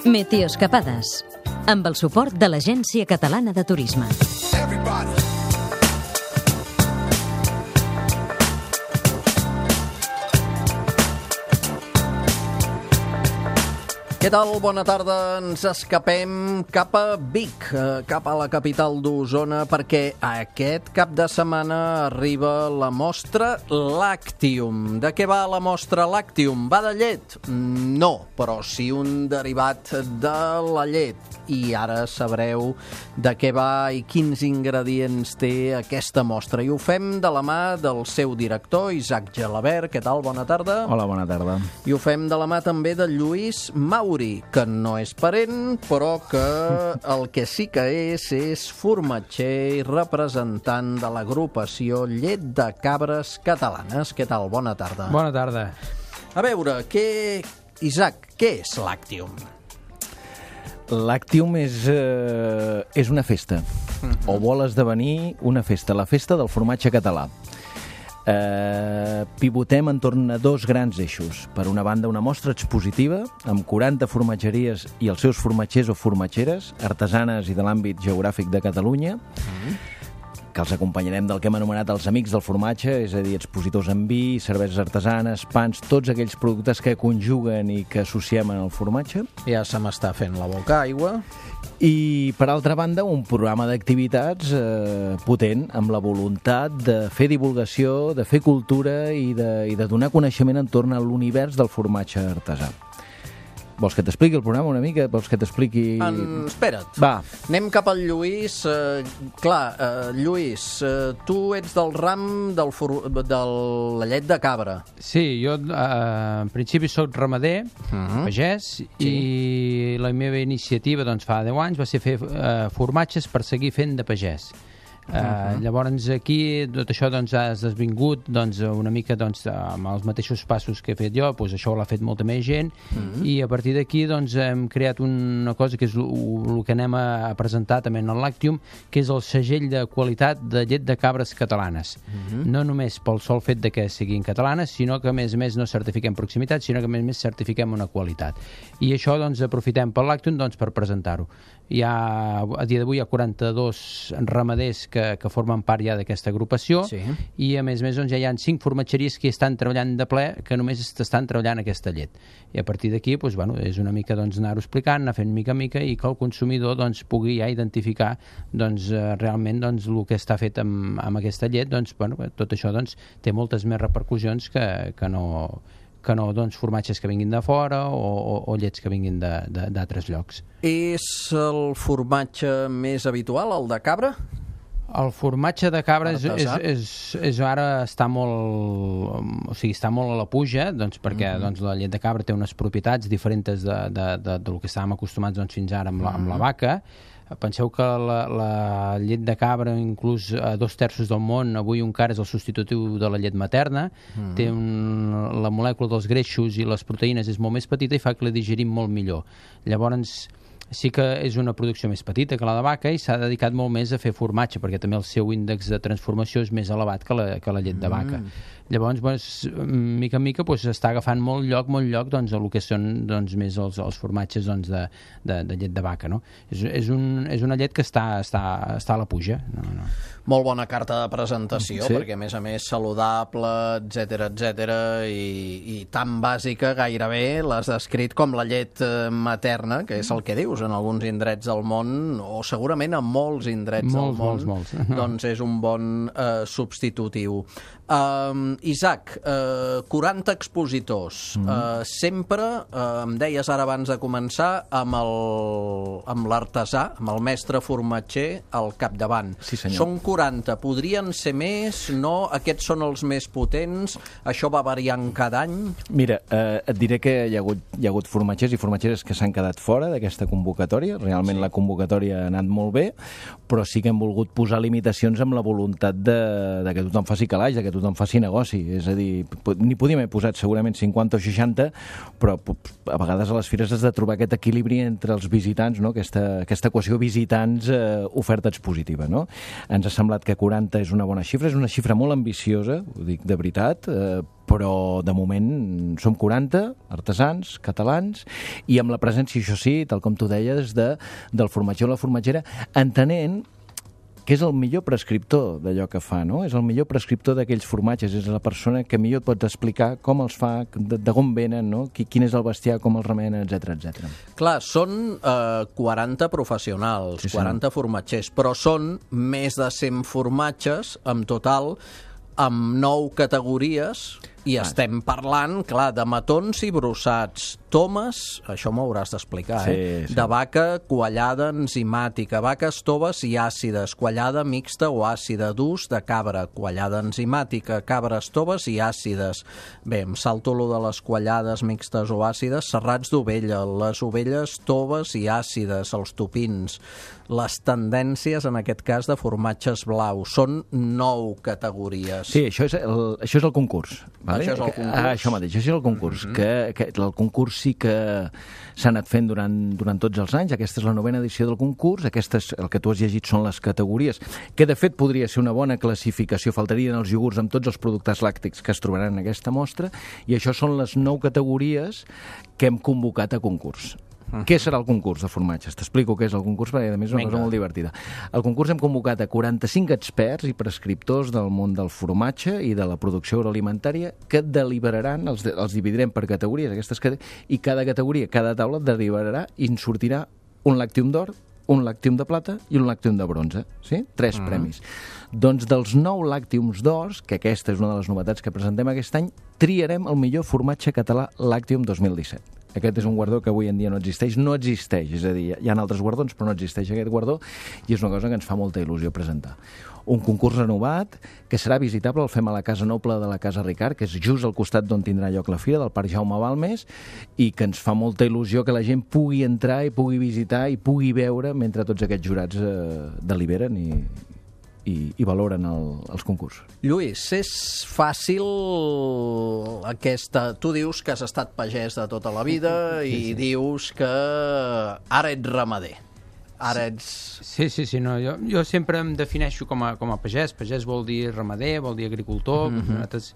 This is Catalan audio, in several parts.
Meteoscapades, amb el suport de l'Agència Catalana de Turisme. Què tal? Bona tarda. Ens escapem cap a Vic, cap a la capital d'Osona, perquè aquest cap de setmana arriba la mostra Lactium. De què va la mostra Lactium? Va de llet? No, però sí un derivat de la llet. I ara sabreu de què va i quins ingredients té aquesta mostra. I ho fem de la mà del seu director, Isaac Gelabert. Què tal? Bona tarda. Hola, bona tarda. I ho fem de la mà també de Lluís Mauri, que no és parent, però que el que sí que és formatger i representant de l'agrupació Llet de Cabres Catalanes. Què tal? Bona tarda. Bona tarda. A veure, Isaac, què és Lactium? Lactium és una festa, o vol esdevenir una festa, la festa del formatge català. Pivotem entorn a dos grans eixos. Per una banda, una mostra expositiva amb 40 formatgeries i els seus formatgers o formatgeres, artesanes i de l'àmbit geogràfic de Catalunya, que els acompanyarem del que hem anomenat els amics del formatge, és a dir, expositors en vi, cerveses artesanes, pans, tots aquells productes que conjuguen i que associem en el formatge. Ja se m'està fent la boca aigua. I, per altra banda, un programa d'activitats potent, amb la voluntat de fer divulgació, de fer cultura i de donar coneixement entorn a l'univers del formatge artesà. Vols que t'expliqui el programa una mica? Vols que t'expliqui... Espera't. Va. Anem cap al Lluís. Lluís, tu ets del ram de la llet de cabra. Sí, jo en principi soc ramader, pagès, i la meva iniciativa fa 10 anys va ser fer formatges per seguir fent de pagès. Llavors aquí tot això ha esdevingut una mica amb els mateixos passos que he fet jo, això l'ha fet molta més gent, i a partir d'aquí hem creat una cosa que és el que anem a presentar també en el Lactium, que és el segell de qualitat de llet de cabres catalanes. No només pel sol fet de que siguin catalanes, sinó que a més no certifiquem proximitat, sinó que a més certifiquem una qualitat. I això aprofitem pel Lactium per presentar-ho. A dia d'avui hi ha 42 ramaders que formen part ja d'aquesta agrupació, i a més ja hi ha 5 formatgeries que estan treballant de ple, que només estan treballant aquesta llet. I a partir d'aquí és una mica anar-ho explicant, anar fent mica en mica, i que el consumidor pugui ja identificar realment el que està fet amb aquesta llet. Tot això té moltes més repercussions que no formatges que vinguin de fora o llets que vinguin d'altres llocs. És el formatge més habitual, el de cabra? El formatge de cabra ara està molt a la puja, perquè la llet de cabra té unes propietats diferents del que estàvem acostumats fins ara amb la vaca. Penseu que la llet de cabra, inclús a 2/3 del món, avui encara és el substitutiu de la llet materna. La molècula dels greixos i les proteïnes és molt més petita i fa que la digerim molt millor. Llavors, sí que és una producció més petita que la de vaca i s'ha dedicat molt més a fer formatge, perquè també el seu índex de transformació és més elevat que la llet de vaca. Llavors, mica en mica, s'està agafant molt lloc el que són més els formatges de llet de vaca. És una llet que està a la puja. Molt bona carta de presentació, perquè a més saludable, etc, i tan bàsica gairebé l'has descrit com la llet materna, que és el que dius en alguns indrets del món, o segurament en molts indrets del món. Molts. Doncs és un bon substitutiu. Isaac, 40 expositors. Sempre, em deies ara abans de començar, amb l'artesà, amb el mestre formatger al capdavant. Sí, senyor. Són 40, podrien ser més? No? Aquests són els més potents? Això va variant cada any? Mira, et diré que hi ha hagut formatgers i formatgeres que s'han quedat fora d'aquesta convocatòria. Realment la convocatòria ha anat molt bé, però sí que hem volgut posar limitacions amb la voluntat de que tothom faci calaix, de que tothom faci negoci. És a dir, n'hi podíem haver posat segurament 50 o 60, però a vegades a les fires has de trobar aquest equilibri entre els visitants, no? Aquesta equació visitants-oferta expositiva. Ens ha semblat que 40 és una bona xifra, és una xifra molt ambiciosa, ho dic de veritat, però de moment som 40 artesans catalans i amb la presència, això sí, tal com tu deies, del formatger o la formatgera, entenent que és el millor prescriptor d'allò que fa, no? És el millor prescriptor d'aquells formatges, és la persona que millor et pots explicar com els fa, d'on venen, no? Quin és el bestiar, com els remena, etc. Clar, són 40 professionals, Sí, 40 formatgers, però són més de 100 formatges en total, amb 9 categories, i estem parlant, clar, de matons i brossats, tomes, això m'ho hauràs d'explicar, Sí. de vaca quallada enzimàtica, vaques toves i àcides, quallada mixta o àcida, d'ús de cabra, quallada enzimàtica, cabres toves i àcides. Bé, em salto lo de les quallades mixtes o àcides, serrats d'ovella, les ovelles toves i àcides, els topins, les tendències, en aquest cas, de formatges blaus. Són 9 categories. Sí, això és el concurs. Vale? Això és el concurs. Això mateix, això és el concurs. Que el concurs sí que s'ha anat fent durant tots els anys. Aquesta és la 9ª edició del concurs. Aquestes, el que tu has llegit, són les categories, que de fet podria ser una bona classificació. Faltarien els iogurts amb tots els productes làctics que es trobaran en aquesta mostra, i això són les 9 categories que hem convocat a concurs. Què serà el concurs de formatges? T'explico què és el concurs, perquè a més és una cosa molt divertida. Al concurs hem convocat a 45 experts i prescriptors del món del formatge i de la producció agroalimentària que deliberaran, els dividirem per categories, i cada categoria, cada taula deliberarà i en sortirà un làctium d'or, un làctium de plata i un làctium de bronze. Sí? 3 premis. Doncs dels 9 làctiums d'ors, que aquesta és una de les novetats que presentem aquest any, triarem el millor formatge català Làctium 2017. Aquest és un guardó que avui en dia no existeix, és a dir, hi ha altres guardons, però no existeix aquest guardó, i és una cosa que ens fa molta il·lusió presentar. Un concurs renovat que serà visitable, el fem a la Casa Noble de la Casa Ricard, que és just al costat d'on tindrà lloc la fira, del Parc Jaume Balmes, i que ens fa molta il·lusió que la gent pugui entrar i pugui visitar i pugui veure mentre tots aquests jurats deliberen i valoren els concursos. Lluís, és fàcil aquesta... Tu dius que has estat pagès de tota la vida i dius que ara ets ramader. Ara ets... Sí, no, jo sempre em defineixo com a pagès. Pagès vol dir ramader, vol dir agricultor. Nosaltres,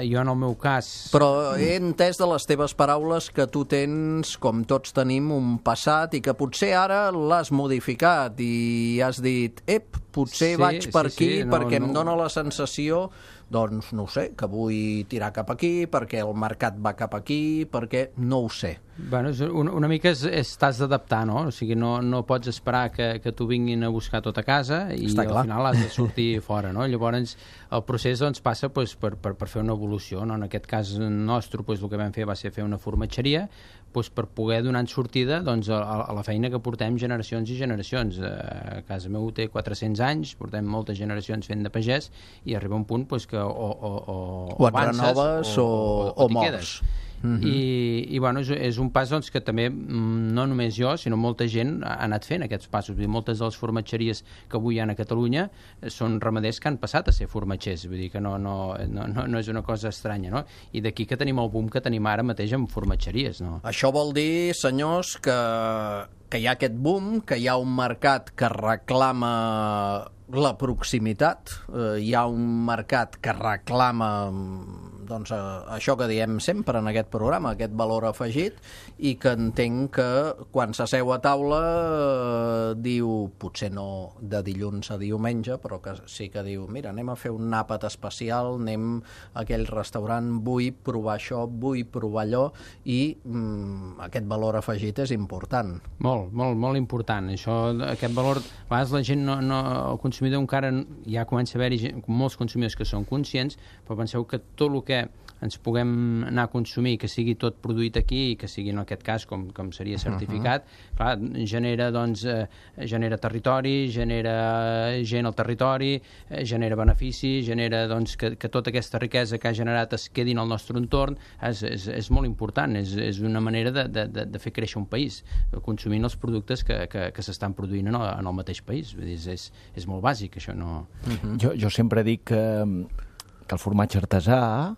jo en el meu cas... Però he entès de les teves paraules que tu tens, com tots tenim, un passat i que potser ara l'has modificat i has dit, potser vaig per aquí perquè em dóna la sensació, doncs no ho sé, que vull tirar cap aquí, perquè el mercat va cap aquí, perquè no ho sé. Bueno, una mica t'has d'adaptar, no? O sigui, no pots esperar que t'ho vinguin a buscar tot a casa i al final has de sortir fora, no? Llavors el procés doncs, passa per fer una evolució, no? En aquest cas nostre el que vam fer va ser fer una formatgeria per poder donar sortida a la feina que portem generacions i generacions. A casa meu té 400 anys, portem moltes generacions fent de pagès i arriba un punt que o et renoves o mors. I bueno, és un pas que també no només jo, sinó molta gent ha anat fent aquests passos. Vull dir, moltes de les formatgeries que avui hi ha a Catalunya són ramaders que han passat a ser formatgers, vull dir que no és una cosa estranya, no? I d'aquí que tenim el boom que tenim ara mateix amb formatgeries, no? Això vol dir, senyors, que hi ha aquest boom, que hi ha un mercat que reclama la proximitat, hi ha un mercat que reclama això que diem sempre en aquest programa, aquest valor afegit, i que entenc que quan s'asseu a taula diu, potser no de dilluns a diumenge, però que sí que diu, mira, anem a fer un àpat especial, anem a aquell restaurant, vull provar això, vull provar allò, i aquest valor afegit és important. Molt important. Aquest valor, a vegades la gent el consumidor encara ja comença a haver-hi molts consumidors que són conscients, però penseu que tot el que ens puguem anar a consumir, que sigui tot produït aquí i que sigui en aquest cas com seria certificat, clar, genera territori, genera gent al territori, genera benefici, genera que tota aquesta riquesa que ha generat es quedi en el nostre entorn. És molt important, és una manera de fer créixer un país, consumint els productes que s'estan produint en el mateix país. És molt bàsic, això. Jo sempre dic que el formatge artesà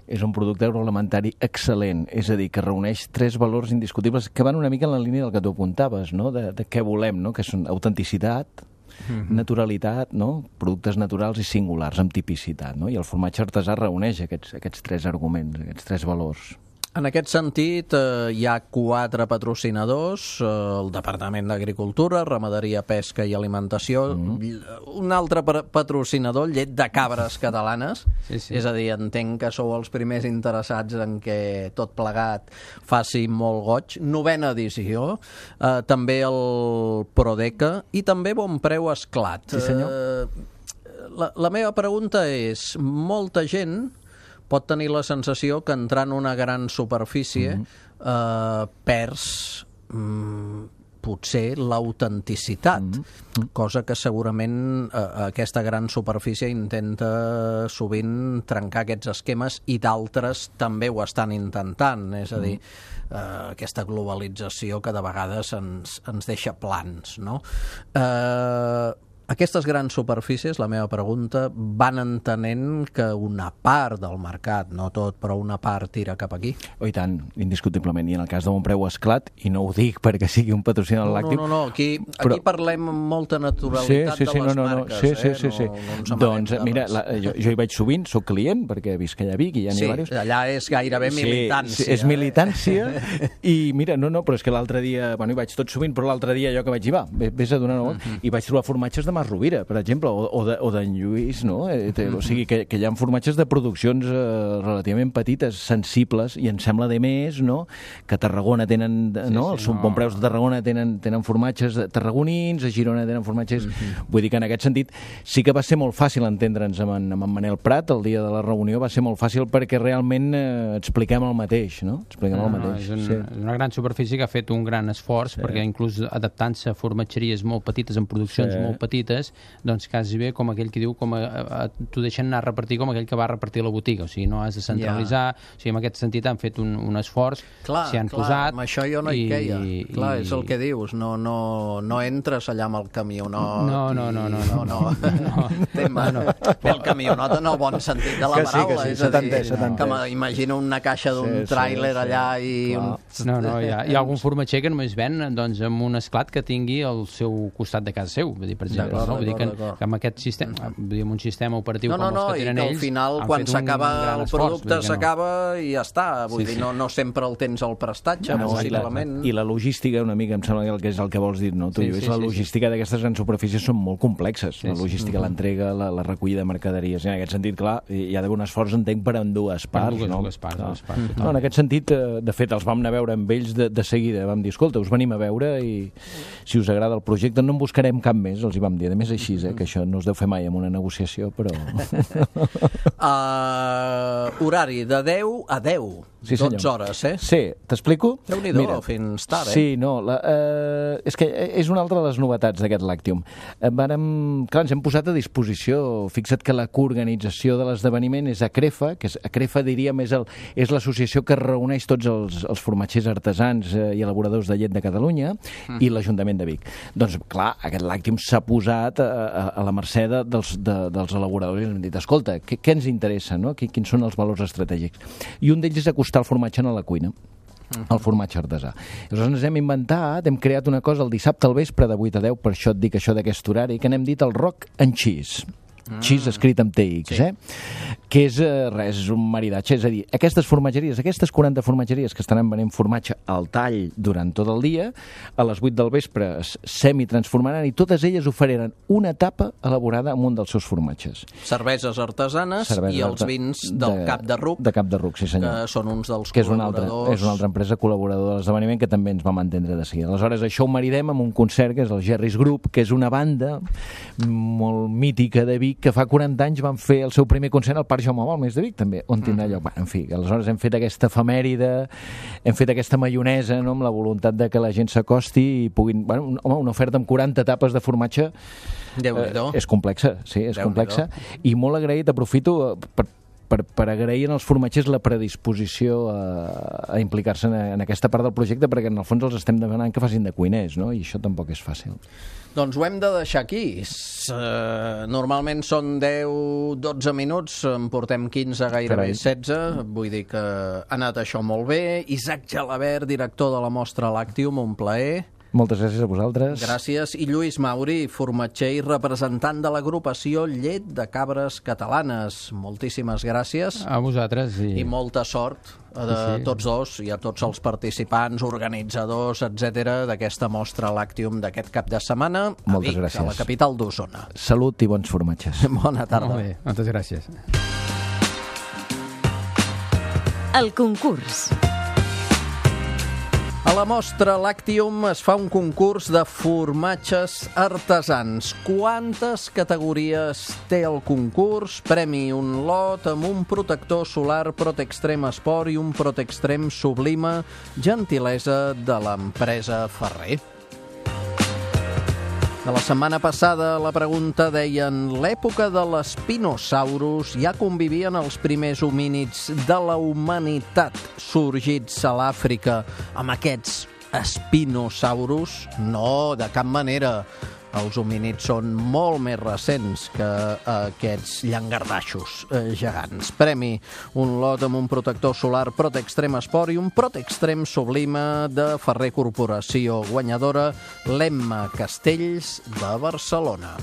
és un producte agroalimentari excel·lent, és a dir, que reuneix 3 valors indiscutibles que van una mica en la línia del que tu apuntaves, no? De què volem, no? Que són autenticitat, naturalitat, no? Productes naturals i singulars, amb tipicitat, no? I el formatge artesà reuneix aquests 3 arguments, aquests 3 valors. En aquest sentit, hi ha 4 patrocinadors, el Departament d'Agricultura, Ramaderia, Pesca i Alimentació, un altre patrocinador, Llet de Cabres Catalanes, és a dir, entenc que sou els primers interessats en que tot plegat faci molt goig, 9a edició, també el Prodeca i també Bon Preu Esclat. Sí, senyor. La meva pregunta és, molta gent pot tenir la sensació que entrant en una gran superfície perds potser l'autenticitat, cosa que segurament aquesta gran superfície intenta sovint trencar aquests esquemes i d'altres també ho estan intentant, és a dir, aquesta globalització que de vegades ens deixa plans, no? Aquestes grans superfícies, la meva pregunta, van entenent que una part del mercat, no tot, però una part tira cap aquí? Oh, i tant, indiscutiblement. I en el cas de Bon Preu Esclat, i no ho dic perquè sigui un patrocinador del làctic... No, aquí parlem amb molta naturalitat de les marques. Sí. Doncs, mira, jo hi vaig sovint, soc client, perquè visc allà a Vic i ja n'hi ha diversos. Sí, allà és gairebé militància. És militància, i mira, però és que l'altre dia, bueno, hi vaig tot sovint, però l'altre dia allò que vaig dir, vés a donar una volta, i vaig trobar formatges de Mas Rovira, per exemple, o d'en Lluís, no? O sigui, que hi ha formatges de produccions relativament petites, sensibles, i em sembla de més, no?, que a Tarragona tenen, no? Els Bon Preus de Tarragona tenen formatges tarragonins, a Girona tenen formatges... Vull dir que en aquest sentit sí que va ser molt fàcil entendre'ns amb en Manel Prat el dia de la reunió, va ser molt fàcil perquè realment expliquem el mateix, no? Expliquem el mateix. És una gran superfície que ha fet un gran esforç, perquè inclús adaptant-se a formatgeries molt petites, en produccions molt petites, doncs quasi bé com aquell que diu, t'ho deixen anar a repartir com aquell que va a repartir a la botiga, o sigui, no has de centralitzar, o sigui, en aquest sentit han fet un esforç, s'hi han posat... Amb això jo no hi queia. Clar, és el que dius, no entres allà amb el camionot... No. El camionot en el bon sentit de la paraula, és a dir, que m'imagino una caixa d'un tràiler allà i... No, hi ha algun formatger que només ven amb un esclat que tingui al seu costat de casa seu, vull dir, per exemple, no? Vull dir que amb aquest sistema, amb un sistema operatiu com els que tenen ells, al final, quan s'acaba el producte, s'acaba i ja està. Vull dir, no sempre el tens al prestatge, possiblement. I la logística, una mica, em sembla que és el que vols dir, no? La logística d'aquestes grans superfícies són molt complexes. La logística, l'entrega, la recollida de mercaderies. En aquest sentit, clar, hi ha d'haver un esforç, entenc, per dues parts. En aquest sentit, de fet, els vam anar a veure amb ells de seguida. Vam dir, escolta, us venim a veure i si us agrada el projecte no en buscarem cap més, els hi vam dir. A més, així, que això no es deu fer mai en una negociació, però... Horari de 10 a 10. Sí, 12 hores, Sí, t'explico? Déu-n'hi-do, fins tard, Sí, és que és una altra de les novetats d'aquest Lactium. Clar, ens hem posat a disposició. Fixa't que la coorganització de l'esdeveniment és ACREFA, que ACREFA, diríem, és l'associació que reuneix tots els formatgers artesans i elaboradors de llet de Catalunya i l'Ajuntament de Vic. Doncs, clar, aquest Lactium s'ha posat a la mercè dels elaboradors i ens han dit, escolta, què ens interessa, no? Quins són els valors estratègics? I un d'ells és acostar el formatge a la cuina, el formatge artesà. Llavors ens hem inventat, hem creat una cosa el dissabte al vespre de 8 a 10, per això et dic això d'aquest horari, que n'hem dit el Rock and Cheese. Cheese escrit amb TX, que és un maridatge, és a dir, aquestes formatgeries, aquestes 40 formatgeries que estaran venent formatge al tall durant tot el dia, a les 8 del vespre es semi-transformaran i totes elles oferiran una tapa elaborada amb un dels seus formatges. Cerveses artesanes i els vins del Cap de Ruc. De Cap de Ruc, sí senyor. Que són uns dels col·laboradors. És una altra empresa col·laboradora de l'esdeveniment que també ens vam entendre de seguida. Aleshores, això ho maridem amb un concert que és el Gerris Group, que és una banda molt mítica de Vic que fa 40 anys van fer el seu primer concert al Parc Jaume Balmes de Vic, també, on tindrà lloc. En fi, aleshores hem fet aquesta efemèride, hem fet aquesta maionesa, no?, amb la voluntat de que la gent s'acosti i puguin... una oferta amb 40 tapes de formatge és complexa, sí, és complexa. I molt agraït, aprofito per agrair als formatgers la predisposició a implicar-se en aquesta part del projecte, perquè en el fons els estem demanant que facin de cuiners, no? I això tampoc és fàcil. Doncs ho hem de deixar aquí. Normalment són 10-12 minuts, en portem 15, gairebé 16. Vull dir que ha anat això molt bé. Isaac Gelabert, director de la mostra Lactium, un plaer. Moltes gràcies a vosaltres. Gràcies. I Lluís Mauri, formatger i representant de l'agrupació Llet de Cabres Catalanes. Moltíssimes gràcies. A vosaltres. I molta sort a tots dos i a tots els participants, organitzadors, etc d'aquesta mostra Lactium d'aquest cap de setmana a Vic, a la capital d'Osona. Salut i bons formatges. Bona tarda. Molt bé, moltes gràcies. El concurs. A la mostra Lactium es fa un concurs de formatges artesans. Quantes categories té el concurs? Premi: un lot amb un protector solar Protextrem Sport i un Protextrem Sublima, gentilesa de l'empresa Ferrer. De la setmana passada la pregunta deien: l'època de l'espinosaurus ja convivien els primers homínids de la humanitat sorgits a l'Àfrica amb aquests espinosaurus? No, de cap manera. Els homínids són molt més recents que aquests llangardaixos gegants. Premi: un lot amb un protector solar Protextrem Sport i un Protextrem Sublima de Ferrer Corporació. Guanyadora: l'Emma Castells de Barcelona.